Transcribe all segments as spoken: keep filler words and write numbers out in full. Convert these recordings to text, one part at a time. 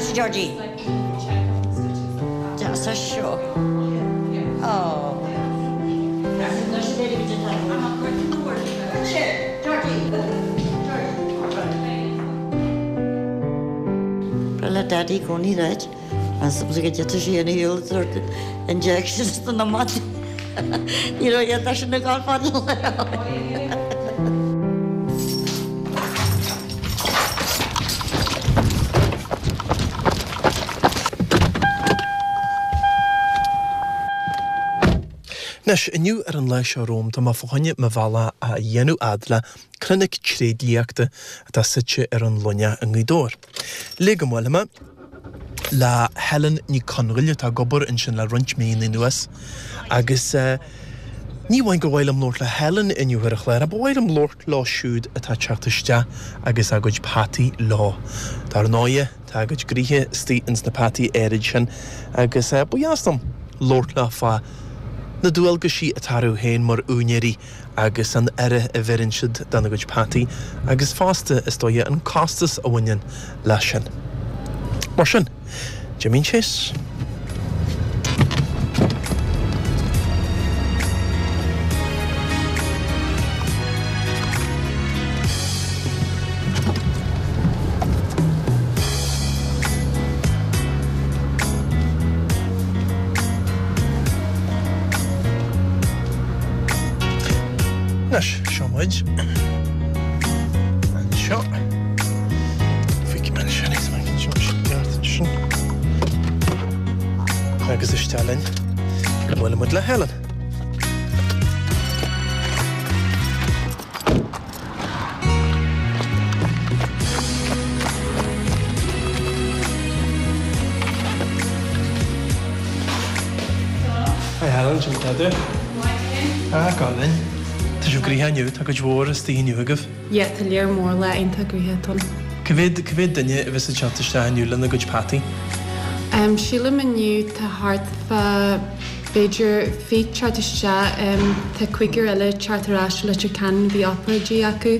Deas Georgie. Deas seo. Oh. Le Daddy gcóí reit as go dté sí an hiúil injections na mat. Ní raibh sin na gal Anois, inniu ar an lá seo romham, tá mé fá choinne mo bhealach a dhéanamh fhad le clinic tréidliachta atá suite ar an Luineach i nGaoth Dobhair. Le go mbuailfidh mé le Helen Ní Chonghaile atá ag obair ansin le roinnt míonna anuas agus ní amháin gur mhaith liom labhairt le Helen inniu ar an chlár, ach ba mhaith liom labhairt leo siúd atá ag teacht isteach agus a gcuid peataí leo. Dar ndóighe, tá a gcuid gnoithe istigh ins na peataí áirid sin agus ba dheas liom labhairt leo fá na dualgaisí atá orthu féin mar úinéirí agus an aire a bheireann siad dona gcuid peataí agus fosta, is dóigh, an costas a bhaineann leis sin. Mar sin, d'imíonn síos. Anois, seo muid anseo. Feicfidh mé ansin é, sin. Agus isteach linn go mbuailfidh muid le Helen. Hi Helen, sin tá tú? Ah, go linn. Tá sibh gnoitheach inniu, tá cuid mhór istigh inniu agaibh. Yeah, tá léar mór lá iontach gnoitheach ann. Cá mhéad, cá mhéad duine a bheas ag teacht isteach inniu lena gcuid peataí? Um, sílim inniu tá thart fá b'fhéidir fiche teacht isteach, um, tá cúigear eile teacht ar ais Leitir Ceanainn bhí obráidí acu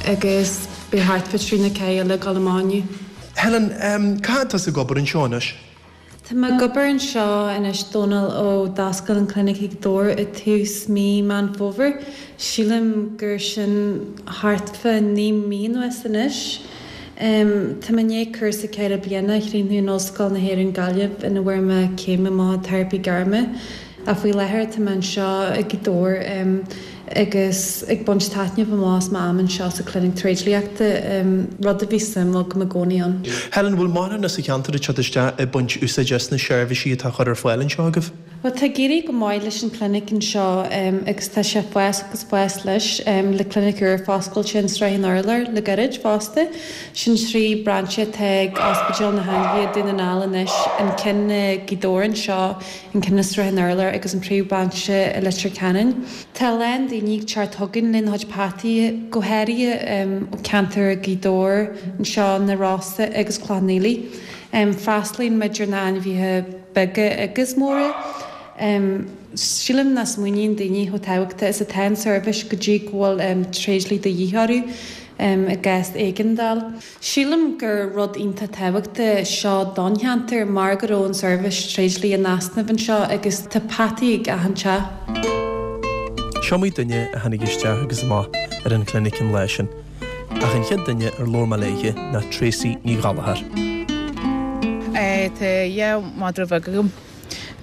agus beidh thart fá trí nó ceathair eile ag dul amach inniu. Helen, um, cá fhad tá tú ag obair anseo anois? Tá mé ag obair anseo anois Dónal ó d'oscail an clinic i nGaoth Dobhair i tús mí Meán Fómhair. Sílim gur sin thart fá naoi mí anuas anois. Um, tá mé i ndiaidh cúrsa ceithre bliana a chríochnú in Ollscoil na hÉireann Gaillimh ina bhfuair mé céim amach teiripe gairme. Ach faoi láthair tá mé anseo i Gaoth Dobhair um, agus ag baint taitneamh amach as m'am anseo sa clinic tréidliachta, um, rud a bhí suim agam i gcónaí ann. Helen, bhfuil mórán as an cheantar ag teacht isteach ag baint úsáid as na seirbhísí atá á chur ar fáil anseo agaibh? Well, tá ag éirí go maith leis an clinic anseo um, agus tá sé fás agus fás leis um, le clinic úr foscailte in Srath an Urláir le gairid fosta. Sin trí brainse atá ag Ospidéal na hAnglaighe Dún na nGall anois, an ceann i Gaoth Dobhair anseo, an ceann i Srath an Urláir agus an príomhbhrainse i Leitir Ceanainn. Tá a lán daoine ag teacht chugainn lena gcuid peataí go háirithe um, ó ceantar Gaoth Dobhair anseo na Rosa agus Cloich Cheann Fhaola. Um, freastalaíonn muid ar na ainmhithe beaga agus móra. Um, sílim nach smaoiníonn daoine chomh tábhachtach is atá an seirbhís go dtí go bhfuil um, tréidlia de dhíth orthu um, i gcás éigeandáil. Sílim gur rud iontach tábhachtach seo don cheantar mar go raibh an seirbhís tréidlia in easnamh anseo agus tá peataí ag achan teach. Seo iomaí duine a tháinig isteach agus amach ar an chlinic an lá sin. Ach an chéad duine ar labhair mé léi ná Tracy Ní Ghallchóir. Eh, Tá dhá mhadra bheag agam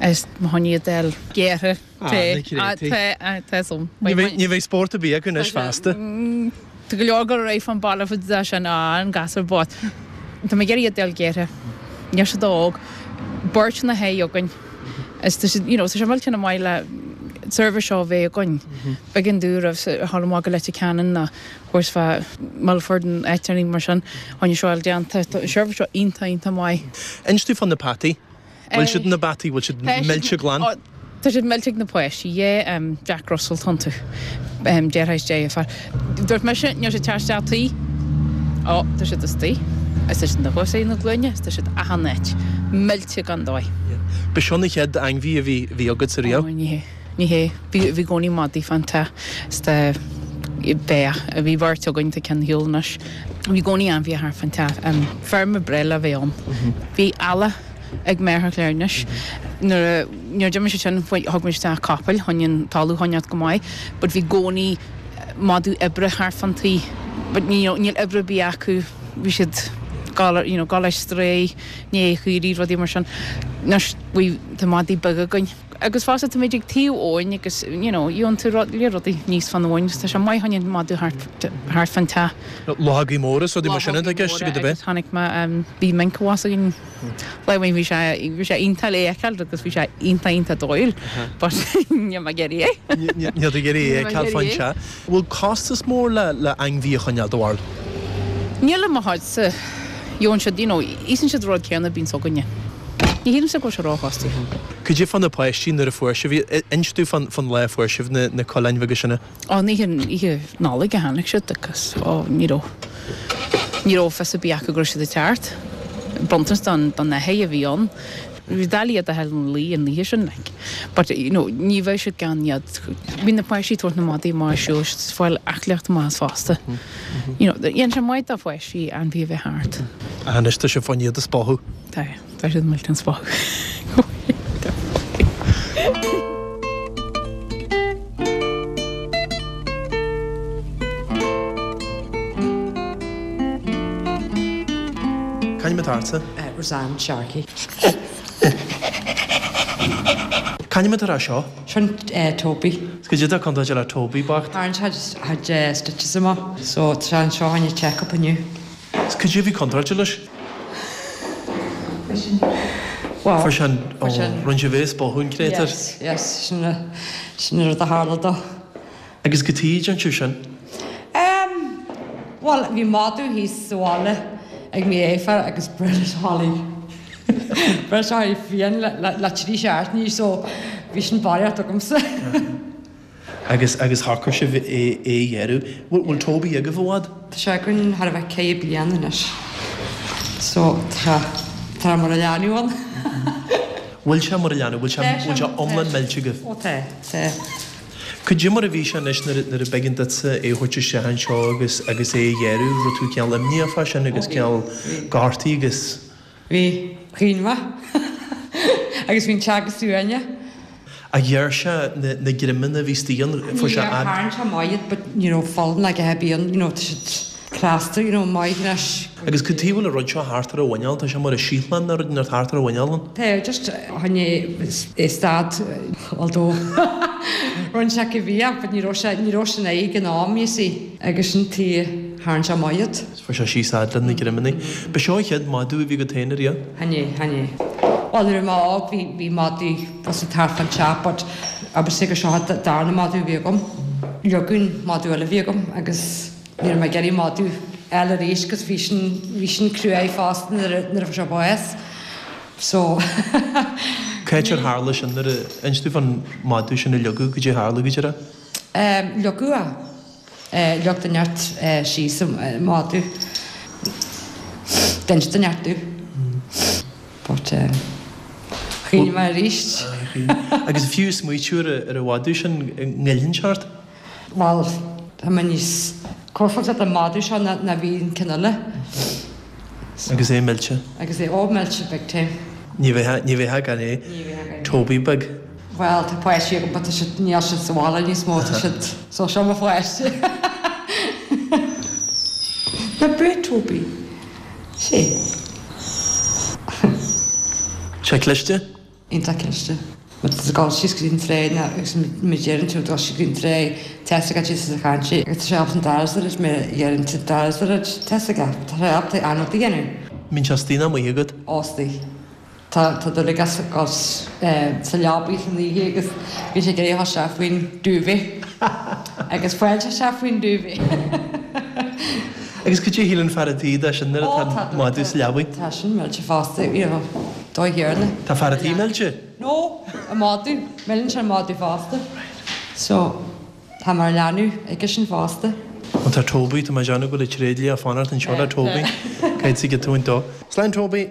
is mo choinne iad a fháil gearrtha. Ah, na créatúir. Tá tá som. Ní bheidh ní bheidh spórt ar bith acu anois feasta. Tá go leor go raibh fan baile fud sin á an gasúr bocht. Tá mé ag iarraidh iad a fháil gearrtha. Níl siad óg. Beirt na hé againn. Is tá siad, you know, tá sé millteanach maith le seirbhís seo a bheith againn. B'éigean dúinn roimh a dhul amach go Leitir Ceanainn nó thuas fá Milford an áit mar sin tháinig seo déanta. Tá an seirbhís seo iontach iontach maith. Inis domh fá na peataí. Bhfuil siad na peataí, bhfuil siad millte glan? Tá siad millte ag na páistí, yeah, um, Jack Russell iontu. Um, deartháir is deirfiúr. Dúirt mise, níl siad teacht isteach tí. Ó, tá siad istigh. Is tá siad na chosaí na glúine, is tá siad achan áit. Millte gan dóigh. Ba seo na chéad ainmhí a bhí bhí agat sa riamh? Ó, ní hé. Ní hé. Bhí bhí i gcónaí madaí fan teach. Is tá Beidh. Bhí beirt againn, tá ceann ar shiúl anois. Bhí i gcónaí ainmhithe thart fán teach. Feirm breá le bheith ann. Bhí eallach ag m'athair Claire anois. Nuair a nuair a d'imigh siad sin thug muid isteach capaill chun an talamh a choinneáilt go maith but bhí i gcónaí madadh oibre thart fán tí but you know níl oibre ar bith acu bhí siad gabháil you know gabháil ar strae i ndiaidh caoirigh rudaí mar sin. Anois bhí tá madaí beaga againn. Agus fosta táimid ag taobh abhainn agus you know gheobhann tú rud lear rudaí aníos fán abhainn agus tá sé maith chun an madadh thart thart fán teach. Luchógaí móra is rudaí mar sin atá i gceist agat ab ea? Chonaic mé bhí minc abhus againn lá amháin bhí sé bhí sé iontach le fheiceáil agus bhí sé iontach iontach dóighiúil but níl mé ag iarraidh é. Níl tú ag iarraidh é a fheiceáil fán teach. Bhfuil costas mór le le ainmhí a choinneáil do bharúil? Níl i mo chuidse. Gheobhann siad, you know, íosann siad an rud céanna a bíonns againne. Ní shílimse go bhfuil sé róchostasach. Cad é fá na páistí nuair a fuair sibh iad? Inis domh fán, fán lá a fuair sibh na, na coileáin bheaga sin. Ó, an oíche, oíche Nollag a tháinig siad agus, ó, ní raibh, ní raibh fios ar bith acu go raibh siad ag teacht. Bronntanas don, don athair a bhí ann. Bhí doiligh iad a fháil ina luí an oíche sin, like. But, you know, ní bheadh siad gan iad. Bhí na páistí ag tabhairt na madaí amach ag siúl, siad ag fáil aclaíocht amach as fosta. You know, dhéan sé maith do pháistí ainmhí a bheith thart. Ach anois tá sibh fá choinne iad a spochadh. Tá, tá siad millteanach spochadh. C'ainm atá ortsa? Roseanne Sharkey. C'ainm atá ar seo? Sin Toby. Is cad é atá contúirteach le Toby bocht? Tharraing sé a chuid stitches amach so tá sé anseo fá choinne check up inniu. Is cad é a bhí contúirteach leis? Well, Fuair sé an, fuair sé an. Rinne sibh é a spochadh an créatúr? Yes, yes, sin sin an rud a tharla dó. Agus cad chuige a ndearna sibh sin? Em, bhuel, bhí madadh thíos sa bhaile ag m'athair agus bhris Holly. Bhris Holly fiáin le, le, le trí seachtainí so bhí sin barraíocht agamsa. Agus, agus shocraigh sibh é, é a ghearradh. Bhfuil, bhfuil Toby agaibh i bhfad? Tá sé againn thar a bheith ceithre bliana anois so tá, tá mar a leanbh ann. Bhfuil sé mar a leanbh? Bhfuil sé, Tá sé, bhfuil sé iomlán millte agaibh? Ó tá, tá. Cad é mar a bhí sé anois nuair a, nuair a b'éigean duitse é a thabhairt isteach anseo agus, agus é a ghearradh, raibh tú cineál imníoch fá sin agus Ó bhí, cineál bhí. gortaithe agus. Bhí, chaoin mé. Agus bhí an teach go suaimhneach. Ach ghearr sé na, na greamanna a bhí istigh ann, fuair sé Níor fhad. tharraing sé amach iad but ní raibh fuil ná a dhath ar bith ann, you know, tá siad crosta, you know, maith anois. Agus cad chuige a bhfuil an rud seo thart ar a mhuineál, tá sé mar a síothlán nó rud inteacht thart ar a mhuineál ann. Tá, just choinnigh é stad, although rinne sé cibé but ní raibh sé, ní raibh sé in aghaidh an am, you see, agus sin tuige tharraing sé amach iad. Fuair sé síos fhad le na greamanna. Ba seo an chéad madadh a bhí agat féin ariamh? Chan ea, chan ea. Bhuel nuair a bhí mé óg bhí, bhí madaí bus ag thart fán teach but I would say gur seo an darna madadh a bhí agam. Leoga an madadh eile a bhí agam agus ní raibh mé ag iarraidh madadh eile arís cos bhí sin, bhí sin cruaidh fosta nuair a, nuair a fuair sé bás. So Cá háit ar tharla sin nuair a, inis domh fán madadh sin a leogadh, cad é a tharla go díreach? Em, leogadh é. Leag duine inteacht síos an madadh. D'inis duine inteacht domh. But chaoin mé arís. Agus fiú smaoitiú ar an mhadadh sin, an ngoilleann sé ort? Bhuel, tá mé níos compordach leis an madadh seo ná ná bhí an ceann eile. Agus é millte. Agus é, oh millte big time. Ní bheifeá, ní bheifeá gan é. Ní bheifeá gan é. Toby beag. Bhuel, tá páistí agam but tá siad, níl siad sa bhaile níos mó, tá siad, so seo mo pháiste. Ná bú Toby. Sé. Sé cliste? Iontach cliste. Má tá tú ag dul síos go dtí an tráigh nó agus má deireann tú ag dul síos go dtí an tráigh, tá fhios agat síos as a chaint é agus tá sé ábalta an doras a dhruid má dheireann tú doras a dhruid, tá fhios aige, tá sé ábalta an rud a dhéanamh. Mbíonn sé istigh nó amuigh agat? Ó istigh. Tá tá dúil aige sa leabaidh san oíche agus bíonn sé ag iarraidh a ghabháil isteach faoin duvet agus faigheann sé isteach faoin duvet. Agus cad é a shíleann fear an tí de sin nuair atá an madadh sa leabaidh? Tá sin millte fosta, you know, dóigh chéanna. Tá fear an tí millte? No, an madadh, milleann sé an madadh fosta. So, tá mar leanbh aige sin fosta. Ó tá Toby, tá mé ag déanamh go bhfuil an tréidlia ag fanacht anseo le Toby. Caithfidh tú tabhairt dó. Slán Toby!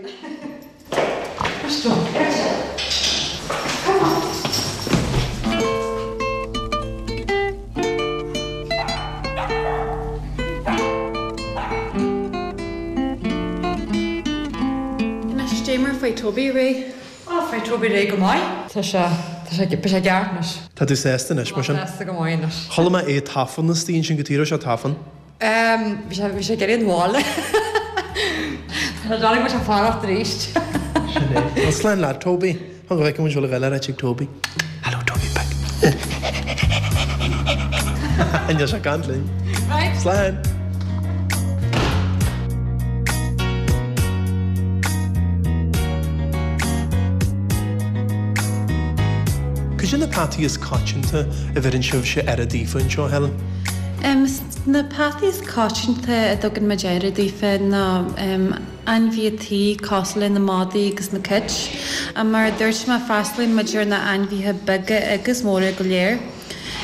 Cad é mar faoi Toby réidh? Á, faoi Toby réidh go maith. Tá sé, tá sé, tá sé ceart anois. Tá tú sásta anois, mar sin? Sásta go maith anois. Chuala mé é tafann istigh ansin cad chuige a raibh sé ag tafann. Bhí sé, bhí sé ag iarraidh an bhaile. Tá sé go sé fanacht arís. Sin é. Well, slán leat, Toby. Go bhfeicfidh muid bhfuil a ghaile ar ag Toby. Hello, Toby Beck. Níl sé ag caint linn. Right. Slán. Cad é na peataí is coitianta a bheireann sibhse aire daofa anseo, Helen? Um, na peataí is coitianta a dtugann muid aire daofa ná um, ainmhithe tí cosúil le na madaí agus na cait. Mar a dúirt mé freastalaíonn muid ar na ainmhithe beaga agus móra go léir.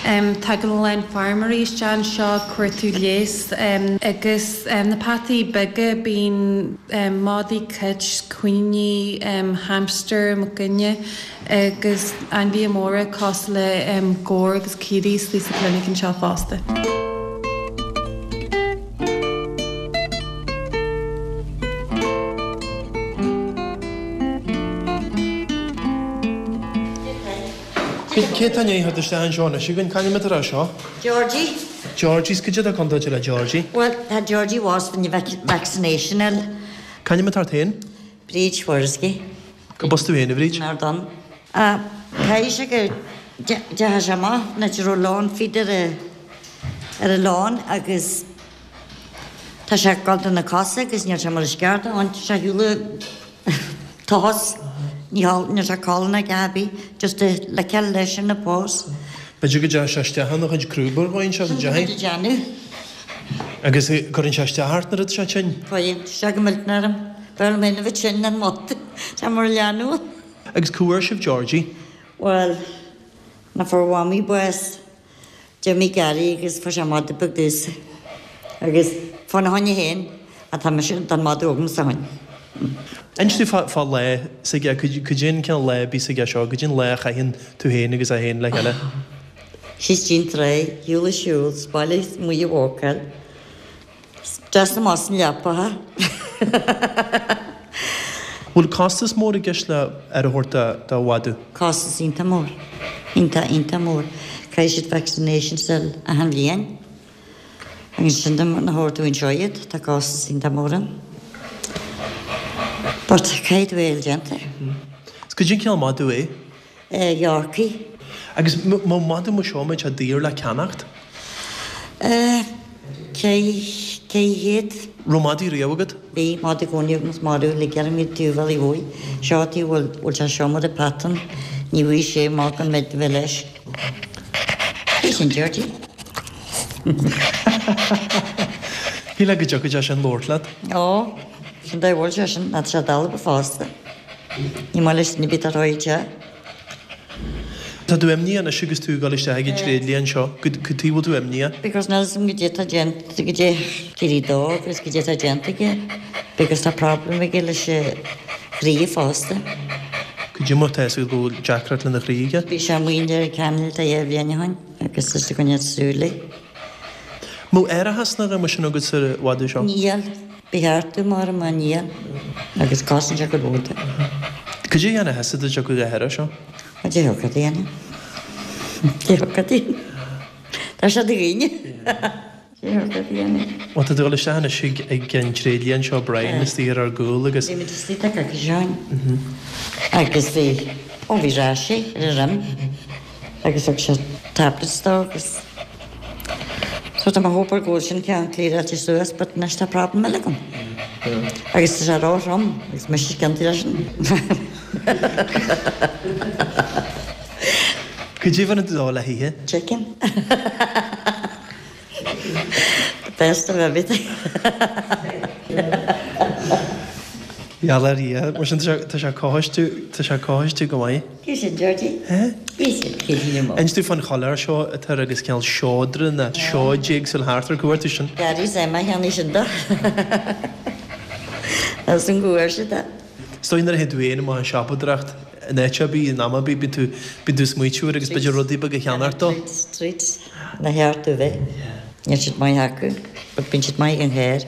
Um, tagann a lán feirmeoirí isteach anseo cuartú leigheas um, agus um, na peataí beaga bíonn um, madaí cait, coiníní, um, hamster, muc guine agus ainmhithe móra cosúil le um, gabhair agus caoirigh istigh sa clinic anseo fosta. Cé tá ní isteach anseo anois againn c'ainm atá air seo? Georgie. Georgie, cad é atá contúirte le Georgie. Well, tá Georgie was when you vac vaccination el. C'ainm atá ort féin? Bríd Schwarzky. Go bus tú féin, a Bhríd? Nar don. Caithfidh sé go dteachaigh sé amach na raibh lán feed ar a ar a lán agus tá sé ag dul do na cosa agus níl sé mar is ceart ann sé shiúl toss. Ní níl sé codladh ná Gabi just a liceáil leis an na pós. B'fhéidir go dteachaigh sé isteach ina chuid crúba ar dhóigh anseo, go dteachaigh? Déanamh. Agus cuireann sé isteach ort nuair atá sé tinn? Cuireann sé go millteanach orm. B'fhearr liom féin a bheith tinn ná an mada. Tá mar leanbh. Agus cá bhfuair sibh Georgie? Bhuel, na fuair Mhamaí bás. D'imigh Gary agus fuair sé mada beag domhsa. Agus fána choinne féin atá mise tá an madadh agamsa ó shin. Inis domh fá fá lá s'aige, cad é an cineál lá a bhíos aige seo, cad é an lá a chaitheann tú féin agus é féin le chéile? Síos dtí'n tráigh, shiúl a siúl, 's baile amuigh a wácáil, 's deas amach san leapacha. Bhfuil costas mór i gceist le aire a thabhairt do mhadadh? Costas iontach mór. Iontach, iontach mór. Caithfidh siad vaccinations a fháil achan bhliain. Agus sin dom na thabhairt dúinn seo iad, tá costas iontach mór ann. But caithfidh tú é a fháil déanta. Is cad é an cineál madadh é? Eh, Yorkie. Agus má madadh mar seo, mbeadh sé daor le ceannacht? Eh, ceithre chéad. Raibh madaí riamh agat? Bhí, madadh i gcónaí agam is madadh le gearr iad taobh bhealaigh uaidh. Seo taobh bhfuil bhfuil sé seo mar a pattern, ní bhfuigh sé amach an mbeidh bheith leis. Bhí sin Georgie. Shílfeá go dtiocfadh sé sin labhairt leat. Ó, sin dóigh bhfuil sé sin, ná tá sé dalba fosta. Ní maith leis na bith a rá te. Tá tú imníoch anois agus tú ag dul isteach ag an tréidlia anseo. Cad chuige a bhfuil tú imníoch? Because níl 'fhios a'm goidé tá déanta, goidé d'éirigh dó agus goidé tá déanta aige. Because tá problem aige leis a chroí fosta. Cad é mar tá 'fhios agat go bhfuil deacracht lena chroí aige? Bhí sé amuigh ar an ceangal dhá bhliain ó shin agus tá sé ag coinneáil súil air. Mbeadh árachas nó a dhath mar sin agat sa mhadadh seo? Níl. Ba cheart dom mar má níl agus cosann sé go leor de. Cad é a dhéanfá thusa dá dtiocfadh othar air seo? Cad é thiocfadh a dhéanamh? Cad é thiocfadh a dhéanamh? Tá sé do dhaoine. Cad é thiocfadh a dhéanamh? Bhuel, tá tú ag dul isteach anois ag ag an tréidlia anseo, Brian, istigh ar ár gcúl agus. Bhí muid istigh tá coicís ó shin agus bhí, ó bhí rash ar a dhroim agus thug sé tablets dó agus so tá mé hope go bhfuil sin ceann clearáilte suas but anois tá problem eile agam. Agus tá sé ró-throm agus mise ciontaí leis sin. Cad é a bheireann tú dó le hithe? Chicken. The best of everything. Gheall ar Dhia, mar sin tá sé cothaiste, tá sé cothaiste go maith. Cé sin Georgie? Eh? Cé sin Cé sin Inis domh fán choiléar seo atá air agus cineál seodra nó seoid éagsúil thart air, cá bhfuair tú sin? Gary Zema cheannaigh sin dó. As an gcuar siad é. Is dóigh nuair a théann tú féin amach ag siopadóireacht in áit ar bith, in am ar bith, bíonn tú, bíonn tú ag smaoitiú air agus b'fhéidir rudaí beaga a cheannacht dó. Treats, treats, na cheart tú bheith. Níl siad maith acu, but bíonn siad maith ag an chéir.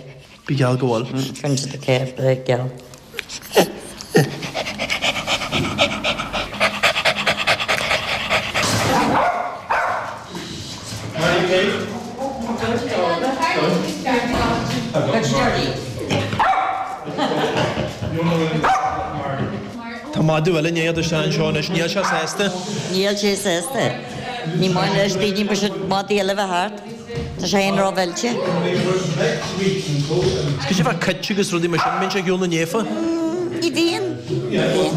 Bí geall go bhfuil. Cuireann siad an chéir breá geal. madadh eile i ndiaidh isteach anseo anois, níl sé sásta. Níl sé sásta. Ní maith leis daoine mar sin madaí eile bheith thart. Tá sé féin rómhillte. Is cad é fá cait agus rudaí mar sin, mbíonn sé ar shiúl na néafa? Ní bhíonn. Ní bhíonn.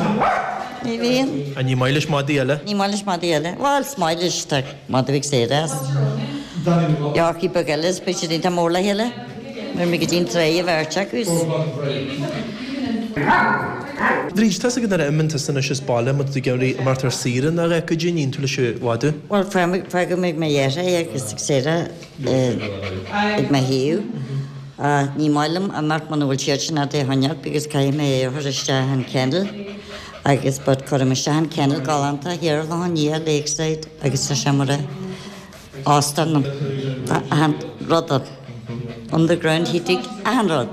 Ní bhíonn. Ach ní maith leis madaí eile? Ní maith leis madaí eile. Bhuel, is maith leis, tá madadh ag saoire as. Yorkie beag eile is beidh siad iontach mór le chéile. Nuair a go dtí an tráigh a bheirt acu. Bríd, tá's agat nuair a imíonn tusa anois as baile má tá tú ag iarraidh imeacht ar saoire nó a dhath, goidé a níonn tú leis an mhadadh? Bhuel, fágaim ag mo dheartháir é agus ag Sarah ag mo thaobh. Ní maith liom imeacht muna bhfuil siad sin a'd é a choinneáil because caithfidh mé é a chur isteach an kennel agus but cuirim isteach an kennel galánta thiar ar Loch an Liath, Lakeside agus tá sé mar a óstán achan rud ann. Underground heating, achan rud.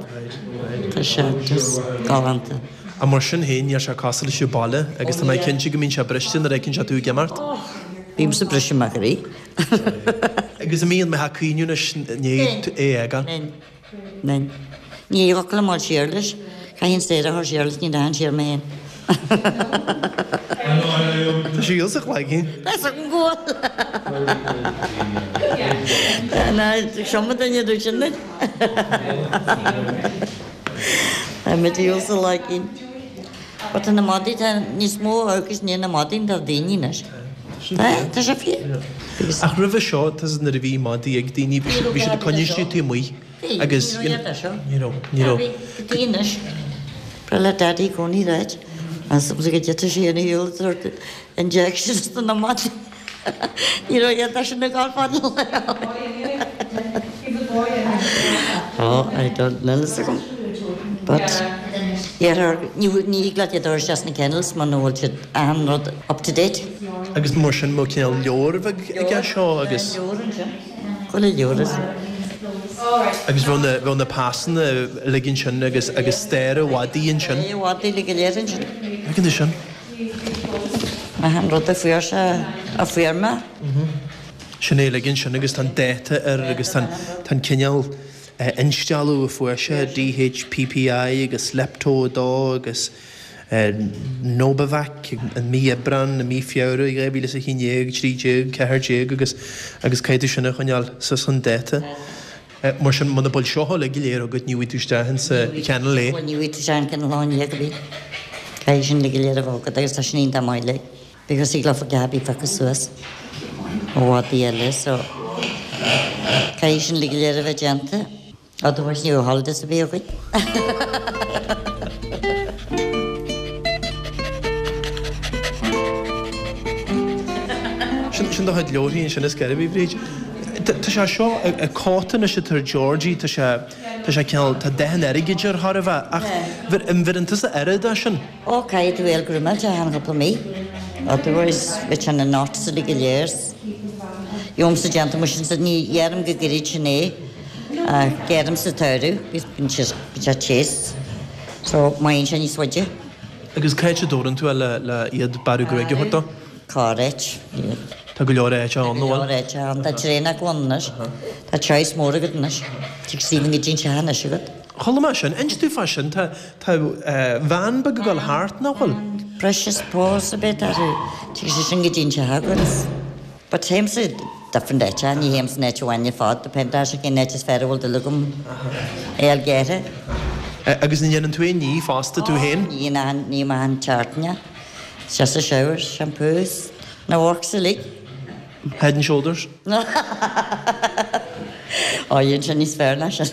Tá sé just galánta. Ach mar sin féin, níl sé cosúil leis an baile agus tá mé cinnte go mbíonn sé briste nuair a fheiceann sé tú ag imeacht. Bímse briste mo chroí. Agus an mbíonn mé ag caoineadh anois i ndiaidh é a fhágáil? Mbíonn. Mbíonn. Ní thiocfadh liom dul siar leis. Caithfidh Sarah a chur siar leis, ní rachainn siar mé féin. Tá sí sa chloigeann. Tá sa go bhfuil. Ná seo mo duine dúirt sin duit. Tá muid ar sa chloigeann. But tá na madaí, tá níos mó agus ní na madaí ná daoine anois. Tá, tá sé fíor. Ach roimhe seo, tá nuair a bhí madaí ag daoine, bhí siad bhí siad ag coinneáil istigh taobh amuigh. Agus Ní raibh seo. Ní raibh, ní raibh. Bhí anois. Ba le Daddy i gcónaí ráit. As go dtitfeadh sé ina shiúl sórt injections do na madaí. Ní raibh iad sin ag gabháil fad le. Oh, I don't know fhios agam. But yeah, ní ní thig leat iad a chur isteach sna kennels muna bhfuil siad achan rud up to date. Agus mar sin mo cineál leabhar bheag aige seo agus. Leabhar ansin. Chuile leabhar is. Agus bheadh na bheadh na pasanna uilig ansin agus agus stair an mhadaidh ansin. Stair an mhadaidh uilig go léir ansin. Feiceann tú sin. Achan rud a fuair sé a fuair mé. Sin é uilig ansin agus tá an dáta air agus tá an tá an cineál instealladh a fuair sé, DHPPI agus Lepto a dó agus Nobivac i mí Aibreán, i mí Feabhra dhá mhíle is a haon déag, trí déag, ceathair déag agus agus caithfidh tú sin a choinneáil suas chun dáta. Mar sin muna bhfuil seo uilig go léir agat ní bhfaighidh tú isteach insa kennel é. Bhuel ní bhfaighidh tú isteach an kennel lá in go bhí. Caithfidh sin uilig go léir a bheith agat agus tá sin iontach maith like because thig leofa gach a phiocadh suas ó mhadaí eile so caithfidh sin uilig go léir a bheith déanta. Otherwise ní raibh holidays a bhí againn. Sin sin do chuid leabharthaí ansin is gairbh, a Bhríd. Tá sé seo an cóta anois atá ar Georgie, tá sé tá sé cineál tá dath an airgid air chóir a bheith ach an bheireann tusa aire dó sin? Ó caithfidh tú é a ghrúmáil achan chúpla mí. Otherwise bheadh sé ina knots uilig go léir. Gheobhaimse déanta mar sin ní dheirim go gairid sin é. Ach geirim sa tsamhradh, bíonn sé bíonn sé téis so maíonn sé níos faide. Agus cá háit a dtabharann tú é le le iad bearradh gruaige a thabhairt dó? Corráit. Tá go leor áite ann, Tá go leor áite ann. Tá traenach ann anois. Tá choice mór agat anois. Tig Stephen go dtí an teach anois agat. Chuala mé sin. Inis domh fá sin. Tá tá veain beag ag dul thart, nach bhfuil? Precious Paws a bheith orthu. Tig sé sin go dtí an teach agat. But téimse different áite, ní théim san áit amháin ar fad, depend ar cén áit is fearr a bhfuil dúil agam é a fháil gearrtha. Agus an ndéanann tú aon ní fosta tú féin? Ní achan, ním achan tseachtain. It's just a shower, shampoos, na works uilig. Head and shoulders? Ó, dhein sé níos fearr ná sin.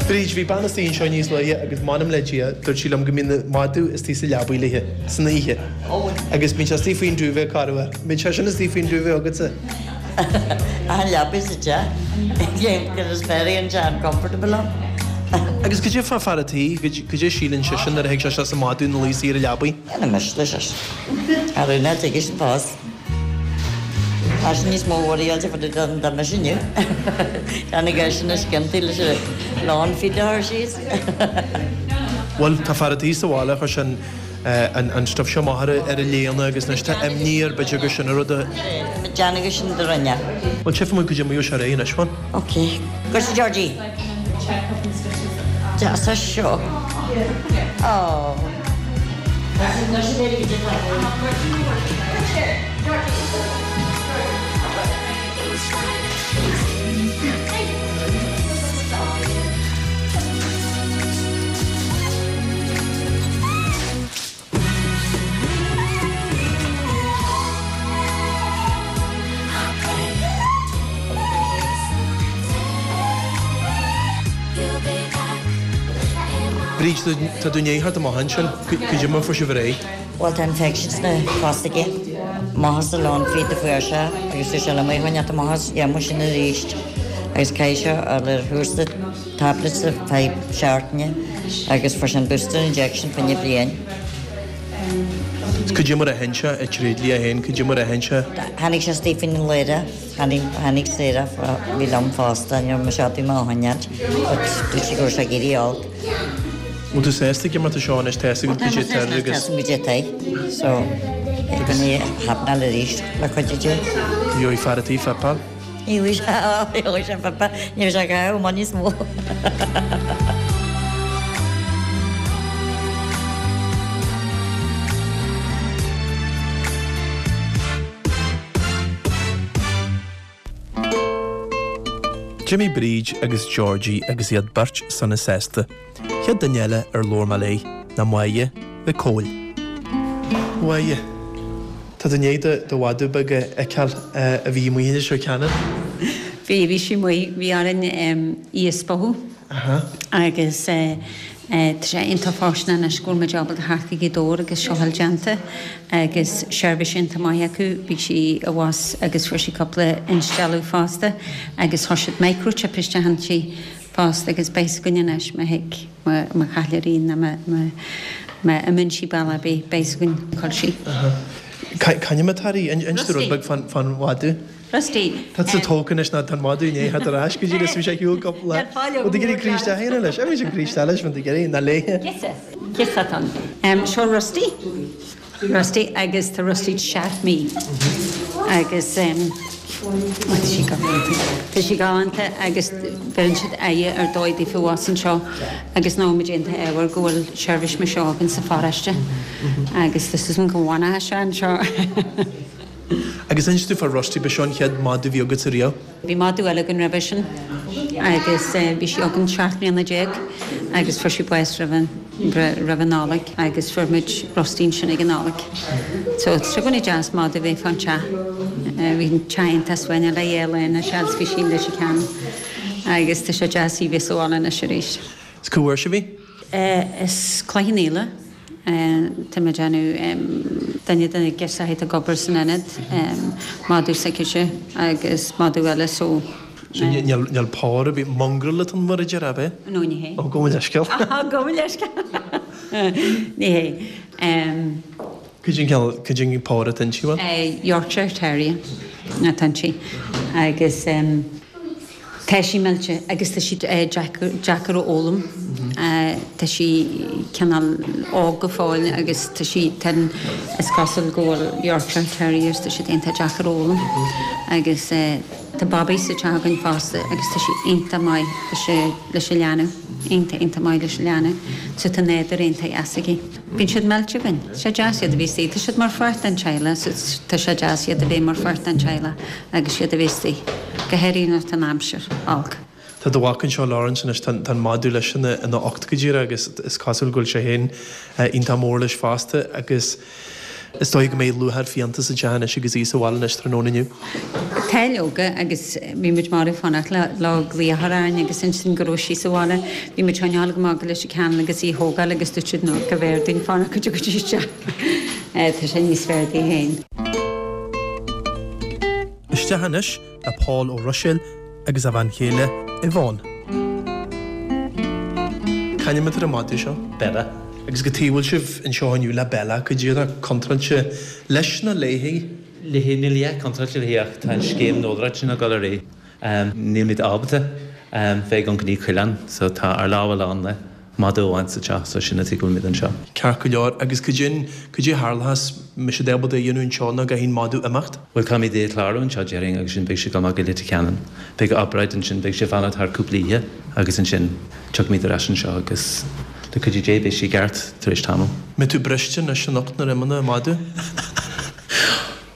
Bríd, bhí bean istigh anseo níos luaithe agus m'anam le Dia, dúirt sí liom go mbíonn an madadh istigh sa leabaidh léithe san oíche. Agus bíonn sé istigh faoin duvet corruair. Bíonn sé sin istigh faoin duvet agatsa. Achan leabaidh sa teach. Is very uncomfortable ann. Agus cad é fá fear an tí, cad é síleann seisean nuair a thig sé isteach is an madadh ina luí saor ar an leabaidh? Dhéanfaidh mise leis sin. Ar aon nós, tuige sin fós. Tá sin níos mó worry fá dtaobh de ná mise inniu. Tá na geiseanna sciontaí leis Lán feed a chur síos. Bhuel, tá fear a' tí sa bhaile, chuir sé an an stuif seo amach ar a léine agus anois tá imní air b'fhéidir gur sin an rud a. Déanamh gur sin do rinne. Bhuel, tchífidh muid goidé mar a gheobhaidh sé ar aghaidh anois, bhuel. Ok. Go raibh Georgie. Deas é seo. Aww. Bríd, tá tú i ndiaidh theacht amach ansin, goidé mar a fuair sibh ar aghaidh? Bhuel tá infection sna cosa aige. Amach as an lán feed a fuair sé agus dúirt sé liom é a choinneáilt amach as dhéanfaidh sin arís agus caithfidh sé a dhul ar chúrsa tablets ar feadh seachtaine agus fuair sé an booster injection fá choinne bliain. Goidé mar a aithin sé i dtréidlia féin, goidé mar a aithin sé? Tháinig sé istigh faoin laoire, tháinig, tháinig Sarah, bhí liom fosta, ní raibh mise ábalta mé a choinneáilt but dúirt sí go raibh sé ag éirí olc. Bhfuil tú sásta go mar tá seo anois, tá a fhios agat goidé atá air agus. Tá a fhios agam goidé atá air, so gan é a happenáil arís le cuidiú Dé. Gheobhaidh fear a' tí fuipeáil. Gheobhaidh sé, gheobhaidh sé fuipeáil, ní bheidh sé ag caitheamh amach níos mó. D'imigh Bríd agus Georgie agus iad beirt sona sásta. Chéad duine eile ar labhair mé léi ná Máire Mhic Cóil. Máire, tá tú i ndiaidh do mhadadh beag a fheiceáil a bhí amuigh anseo cheana. Bhí, bhí sí amuigh, bhí orainn í a spochadh agus tá sé iontach fáistineach anois go bhfuil muid ábalta theacht go Gaoth Dobhair agus seo a fháil déanta agus seirbhís iontach maith acu. Bhí sí abhus agus fuair sí cúpla instealladh fosta agus chuir siad microchip isteach inti fosta agus beidh 's againn anois má thig, má chaillear í nó má má imíonn sí bealach ar bith beidh 's againn cá bhfuil sí. C'ainm atá uirthi? Inis dúinn rud beag fán mhadadh. Rusty. Tá tú tógtha anois ná tá an madadh i ndiaidh theacht ar ais go dtí bhí sé ar shiúl cúpla. Bhfuil tú ag iarraidh croí isteach a dhéanamh leis? Bhí sé croí isteach leis, bhfuil tú ag iarraidh ná léithe. Ciosa. Ciosa atá ann. Seo Rusty. Rusty agus tá Rusty seacht mí. Agus tá sí galánta. Tá sí galánta agus bheireann siad aire ar dóigh daofa abhus anseo agus ná muid iontach ádhmhar go bhfuil seirbhís mar seo againn sa pharóiste. Agus tá súil agam go bhfanfaidh sé anseo. Agus inis dúinn fá Rusty, ba seo an chéad mhadadh a bhí agatsa riamh? Bhí madadh eile againn roimhe sin agus bhí sí againn seacht mbliana déag agus fuair sí bás roimh an, roimh an Nollaig agus fuair muid Rusty ansin ag an Nollaig. So tá sé i gcónaí deas madadh a bheith fán teach. Bhí an teach iontach suaimhneach le dhá lá anois agus bhí sí i Leitir Ceanainn agus tá sé deas í bheith sa bhaile anois arís. Is cá bhfuair sibh í? Is Cloich Cheann Fhaola. Tá mé ag déanamh duine de na girseachaí atá ag obair san ionad, madadh s'aicise agus madadh eile so. So níl pór ar bith, mongrel atá ann mar a déarfá, ab ea? No, ní hé. Ó, gabh mo leithscéal. Gabh mo leithscéal. Ní hé. Cad é an cineál, cad é an pór atá inti, bhuel? Yorkshire Terrier atá inti agus. Tá sí millte agus tá sí deacair a fhoghlaim. Tá sí cineál óg go fóill agus tá sí tinn. Is cosúil go bhfuil Yorkshire Terriers, tá siad iontach deacair a fhoghlaim. Agus tá Bobby sa teach againn fosta agus tá sí iontach maith leis an leanbh, iontach, iontach maith leis an leanbh. So tá nádúr iontach deas aici. Bíonn siad millte againn. Tá sé deas iad a bheith istigh. Tá siad mar pháirt den teaghlach so tá sé deas iad a bheith mar pháirt den teaghlach agus iad a bheith istigh, go háirithe nuair atá an aimsir olc. Tá do mhac anseo, Laurence, anois, tá an madadh leis ina ina ucht go díreach agus is cosúil go bhfuil sé féin iontach mór leis fosta agus is dóigh go mbeidh lúcháir fiánta sa teach anois agus í sa bhaile anois tráthnóna inniu. Tá leoga agus bhí muid marbh ag fanacht le le glaoch a chur orainn agus ansin go raibh sí sa bhaile. Bhí muid chun a ghabháil go maith go Leitir Ceanainn agus í a thógáil agus dúirt siad no go mb'fhearr dúinn fanacht go dtiocfaidh sí isteach. Tá sé níos fearr di féin. Isteach anois le Pól Ó Ruiséil agus a bhean chéile Yvonne. C'ainm atá ar an madadh seo? Bella. Agus cad chuige a bhfuil sibh anseo inniu le Bella, cad é atá contráilte leis nó léi? Léi, níl a dhath contráilte léi ach tá an scéim nodaireachta sin ag dul ar aghaidh. Nílimid ábalta Bheidh an gní coileán, so tá ár lámha lán le madadh amháin sa teach, so sin an tuige go bhfuilimid anseo. Ceart go leor, agus cad é, cad é a tharlós, mbeidh siad ábalta a dhéanamh anseo nó caithfidh an madadh imeacht? Bhuel, caithfimid é a chlárú anseo, déarfainn, agus sin beidh sé ag dul amach go Leitir Ceanainn. Beidh obráid ansin, beidh sé ag fanacht thar cúpla oíche agus ansin tiocfaimid ar ais anseo agus le cuidiú Dé beidh sé i gceart tar éis tamaill. Mbeidh tú briste anois anocht nuair a imíonn an madadh?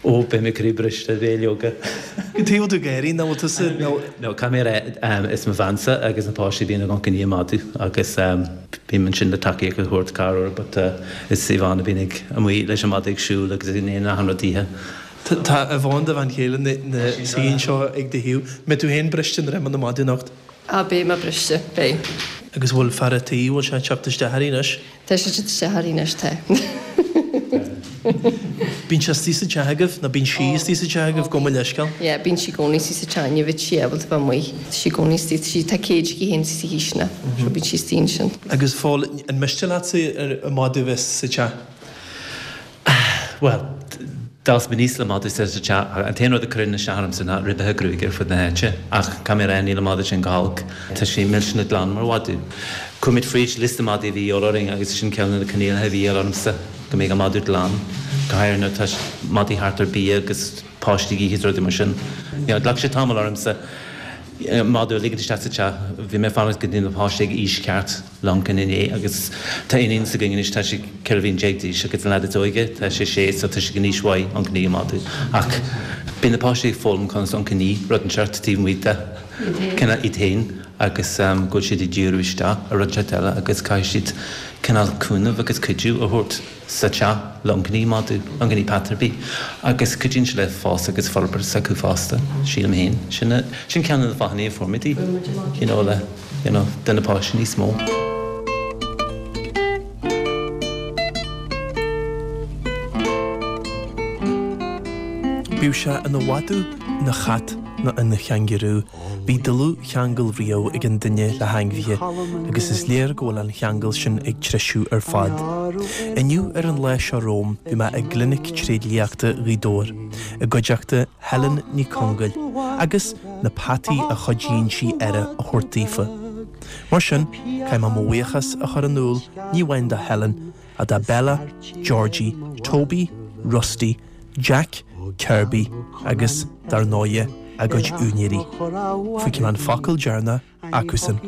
Ó, beidh mé croí briste, beidh leoga. Cad chuige a bhfuil tú ag gáirí, nach bhfuil tusa, nó. No, caithfidh mé a rá, is mo bheansa agus na páistí a bhíonn ag amharc i ndiaidh an mhadaidh agus bím ansin le tacaíocht a thabhairt corruair but is Yvonne a bhíonn ag amuigh leis an madadh ag siúl agus ag déanamh achan rud daoithe. Tá Yvonne, do bhean chéile, ina suí anseo ag do thaobh. Mbeidh tú féin briste nuair a imíonn an madadh anocht? Á, beidh mé briste, beidh. Agus bhfuil fear a' tí, bhfuil sé ag teacht isteach uirthi anois? Tá sé ag teacht isteach uirthi anois, tá. Bíonn sé istigh sa teach agaibh, nó bíonn sí istigh sa teach agaibh, gabh mo leithscéal? Yeah, bíonn sí i gcónaí istigh sa teach, ní bheidh sí ábalta bheith amuigh. Tá sí i gcónaí istigh, tá sí, tá cage aici féin istigh sa chisteanach, so bíonn sí istigh ansin. Agus Phól, an miste leatsa an madadh a bheith sa teach? Bhuel, d'fhás mé aníos le madadh sa teach. An t-aon rud a chuireann isteach ormsa ná ribeacha gruaige ar fud na háite. Ach caithfidh mé a rá, níl an madadh sin go holc. Tá sé millteanach glan mar mhadadh. Chuaigh muid fríd liosta madaí a bhí a dhíobháil orainn agus sin ceann de na coinníollacha a bhí a dhíobháil ormsa, go mbeadh an madadh glan. Go háirithe nuair atá madaí thart ar bia agus páistí ag ithe is rudaí mar sin. You know, ghlac sé tamall ormsa madadh a ligint isteach sa teach. Bhí mé ag fanacht go dtí na páistí ag aois ceart. le amharc ina ndiaidh agus tá iníon s'againn anois, tá sí ceithre bhliain déag d'aois agus an leaid is óige, tá sé sé so tá sé in aois mhaith amharc i ndiaidh an mhadaidh. Ach bíonn na páistí ag foghlaim conas amharc i ndiaidh rud inteacht taobh amuigh de cineál iad féin agus go bhfuil siad ag díriú isteach ar rud inteacht eile agus caithfidh siad cineál cúnamh agus cuidiú a thabhairt sa teach le amharc i ndiaidh madadh, amharc i ndiaidh peata ar bith agus cuidíonn sé le fás agus forbairt s'acu fosta, sílim féin. Sin sin ceann de na fáthanna a fuair muid í, you know le you know do na páistí níos mó. Bíodh sé ina mhadadh, ina chat nó ina changarú, bhí dlúthcheangal riamh ag an duine le hainmhithe agus is léir go bhfuil an cheangal sin ag treisiú ar fad. Inniu ar an lá seo romham bhí mé i gClinic Tréidliachta Ghaoth Dobhair i gcuideachta Helen Ní Chongail agus na peataí a chuidíonn sí aire a thabhairt daofa. Mar sin, caithfidh mé mo bhuíochas a chur in iúl ní amháin do Helen ach do Bella, Georgie, Toby, Rusty, Jack, Kirby agus, dar ndóighe, a gcuid úinéirí. Feicfidh mé an focal deireanach acusan.